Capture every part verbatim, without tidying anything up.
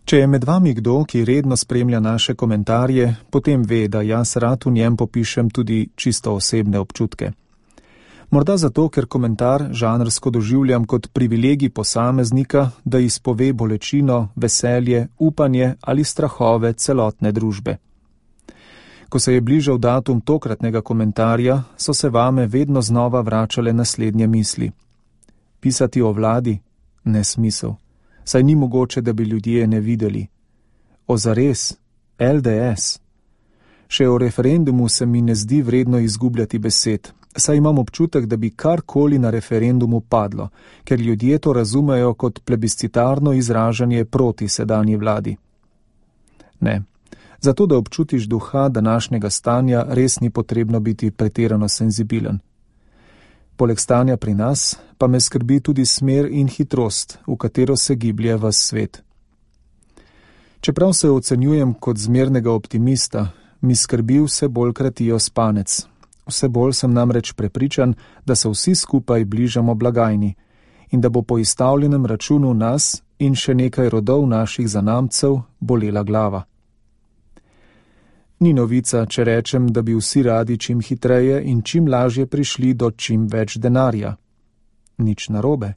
Če je med vami kdo, ki redno spremlja naše komentarje, potem ve, da jaz rad v njem popišem tudi čisto osebne občutke. Morda zato, ker komentar žanrsko doživljam kot privilegij posameznika, da izpove bolečino, veselje, upanje ali strahove celotne družbe. Ko se je bližal datum tokratnega komentarja, so se vame vedno znova vračale naslednje misli. Pisati o vladi? Nesmisel. Saj ni mogoče, da bi ljudje ne videli. O zares? L D S? Še o referendumu se mi ne zdi vredno izgubljati besed, saj imam občutek, da bi karkoli na referendumu padlo, ker ljudje to razumejo kot plebiscitarno izražanje proti sedanji vladi. Ne, zato da občutiš duha današnjega stanja, res ni potrebno biti pretirano senzibilen. Poleg stanja pri nas, pa me skrbi tudi smer in hitrost, v katero se giblje ves svet. Čeprav se ocenjujem kot zmernega optimista, mi skrbi vse bolj kratijo spanec. Vse bolj sem namreč prepričan, da se vsi skupaj bližamo blagajni in da bo po izstavljenem računu nas in še nekaj rodov naših zanamcev bolela glava. Ni novica, če rečem, da bi vsi radi čim hitreje in čim lažje prišli do čim več denarja. Nič narobe.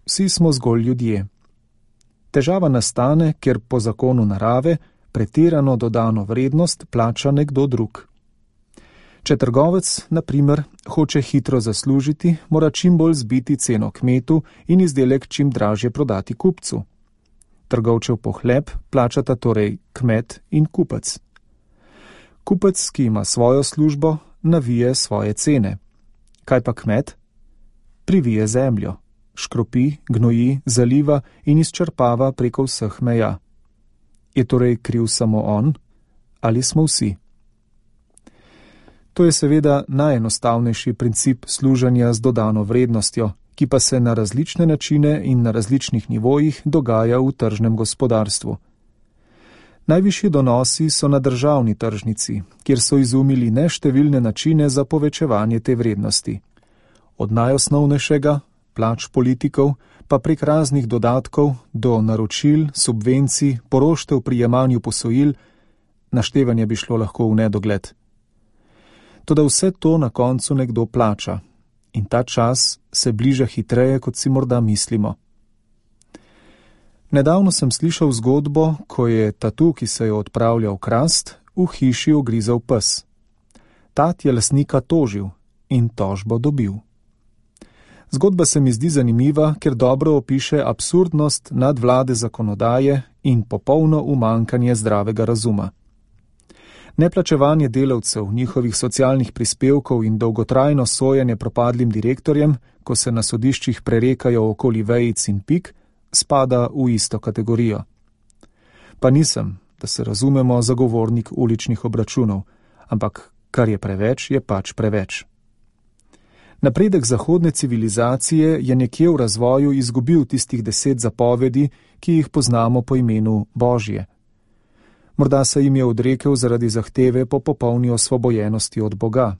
Vsi smo zgolj ljudje. Težava nastane, ker po zakonu narave pretirano dodano vrednost plača nekdo drug. Če trgovec, na primer, hoče hitro zaslužiti, mora čim bolj zbiti ceno kmetu in izdelek čim dražje prodati kupcu. Trgovčev pohleb plačata torej kmet in kupec. Kupec, ki ima svojo službo, navije svoje cene. Kaj pa kmet? Privije zemljo, škropi, gnoji, zaliva in izčrpava preko vseh meja. Je torej kriv samo on ali smo vsi? To je seveda najenostavnejši princip služenja z dodano vrednostjo, ki pa se na različne načine in na različnih nivojih dogaja v tržnem gospodarstvu. Najvišji donosi so na državni tržnici, kjer so izumili neštevilne načine za povečevanje te vrednosti. Od najosnovnejšega, plač politikov, pa prek raznih dodatkov do naročil, subvencij, poroštev pri jemanju posojil, naštevanje bi šlo lahko v nedogled. Toda vse to na koncu nekdo plača in ta čas se bliža hitreje, kot si morda mislimo. Nedavno sem slišal zgodbo, ko je tatu, ki se je odpravljal krast, v hiši ogrizel pes. Tat je lastnika tožil in tožbo dobil. Zgodba se mi zdi zanimiva, ker dobro opiše absurdnost nadvlade zakonodaje in popolno umankanje zdravega razuma. Neplačevanje delavcev, njihovih socialnih prispevkov in dolgotrajno sojenje propadlim direktorjem, ko se na sodiščih prerekajo okoli vejic in pik, spada v isto kategorijo. Pa nisem, da se razumemo, zagovornik uličnih obračunov, ampak kar je preveč, je pač preveč. Napredek zahodne civilizacije je nekje v razvoju izgubil tistih deset zapovedi, ki jih poznamo po imenu Božje. Morda se jim je odrekel zaradi zahteve po popolni osvobojenosti od Boga.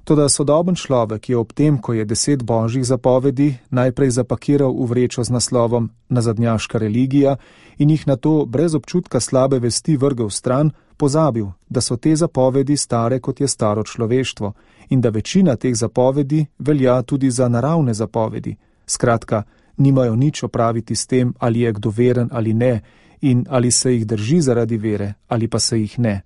Toda sodoben človek je ob tem, ko je deset božjih zapovedi najprej zapakiral v vrečo z naslovom nazadnjaška religija in jih nato brez občutka slabe vesti vrgel stran, pozabil, da so te zapovedi stare, kot je staro človeštvo, in da večina teh zapovedi velja tudi za naravne zapovedi. Skratka, nimajo nič opraviti s tem, ali je kdo veren ali ne, in ali se jih drži zaradi vere, ali pa se jih ne.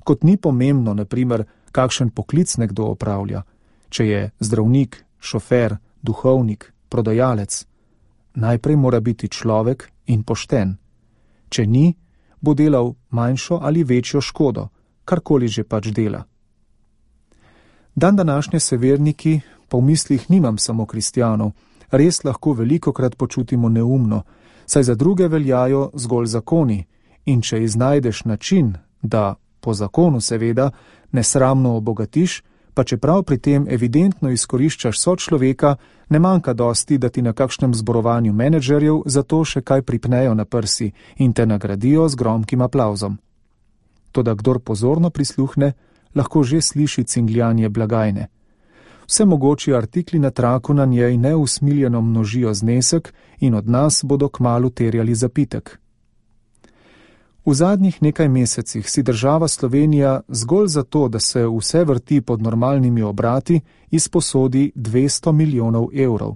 Kot ni pomembno, na primer, kakšen poklic nekdo opravlja, če je zdravnik, šofer, duhovnik, prodajalec. Najprej mora biti človek in pošten. Če ni, bo delal manjšo ali večjo škodo, karkoli že pač dela. Dan današnje se verniki, po mislih nimam samo kristjanov, res lahko velikokrat počutimo neumno, saj za druge veljajo zgolj zakoni in če iznajdeš način, da, po zakonu seveda, nesramno obogatiš, pa čeprav pri tem evidentno izkoriščaš sočloveka, ne manjka dosti, da ti na kakšnem zborovanju menedžerjev zato še kaj pripnejo na prsi in te nagradijo z gromkim aplavzom. Toda kdor pozorno prisluhne, lahko že sliši cingljanje blagajne. Vse mogoči artikli na traku na njej neusmiljeno množijo znesek in od nas bodo kmalu terjali zapitek. V zadnjih nekaj mesecih si država Slovenija zgolj zato, da se vse vrti pod normalnimi obrati, izposodi dvesto milijonov evrov.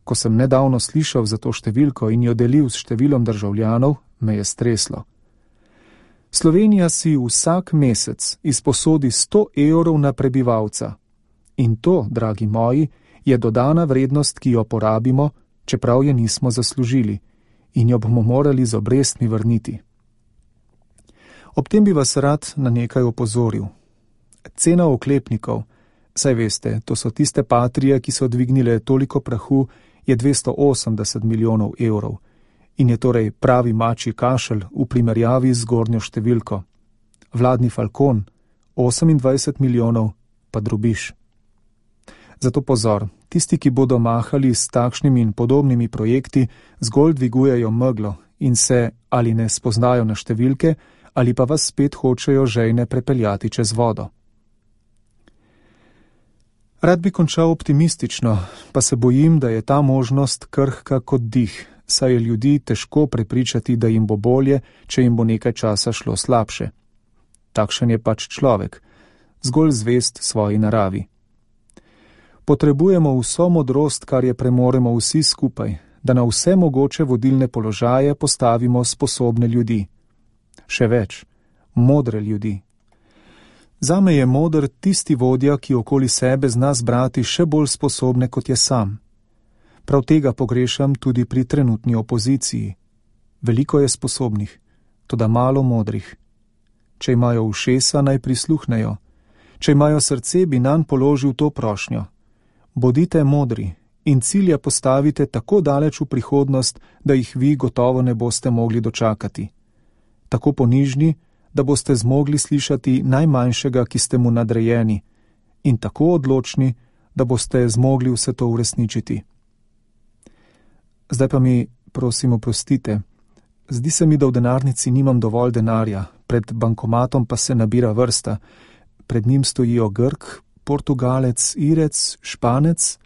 Ko sem nedavno slišal za to številko in jo delil s številom državljanov, me je streslo. Slovenija si vsak mesec izposodi sto evrov na prebivalca. In to, dragi moji, je dodana vrednost, ki jo porabimo, čeprav je nismo zaslužili, in jo bomo morali z obrestmi vrniti. Ob tem bi vas rad na nekaj opozoril. Cena oklepnikov, saj veste, to so tiste patrije, ki so dvignile toliko prahu, je dvesto osemdeset milijonov evrov in je torej pravi mačji kašelj v primerjavi z zgornjo številko. Vladni Falcon, osemindvajset milijonov, pa drobiž. Zato pozor, tisti, ki bodo mahali s takšnimi in podobnimi projekti, zgolj dvigujejo meglo in se ali ne spoznajo na številke, ali pa vas spet hočejo žejne prepeljati čez vodo. Rad bi končal optimistično, pa se bojim, da je ta možnost krhka kot dih, saj je ljudi težko prepričati, da jim bo bolje, če jim bo nekaj časa šlo slabše. Takšen je pač človek, zgolj zvest svoji naravi. Potrebujemo vso modrost, kar je premoremo vsi skupaj, da na vse mogoče vodilne položaje postavimo sposobne ljudi. Še več, modre ljudi. Zame je moder tisti vodja, ki okoli sebe zna zbrati še bolj sposobne, kot je sam. Prav tega pogrešam tudi pri trenutni opoziciji. Veliko je sposobnih, toda malo modrih. Če imajo ušesa, naj prisluhnejo. Če imajo srce, bi nanj položil to prošnjo. Bodite modri in cilje postavite tako daleč v prihodnost, da jih vi gotovo ne boste mogli dočakati. Tako ponižni, da boste zmogli slišati najmanjšega, ki ste mu nadrejeni, in tako odločni, da boste zmogli vse to uresničiti. Zdaj pa mi, prosim, oprostite. Zdi se mi, da v denarnici nimam dovolj denarja, pred bankomatom pa se nabira vrsta. Pred njim stojijo Grk, Portugalec, Irec, Španec,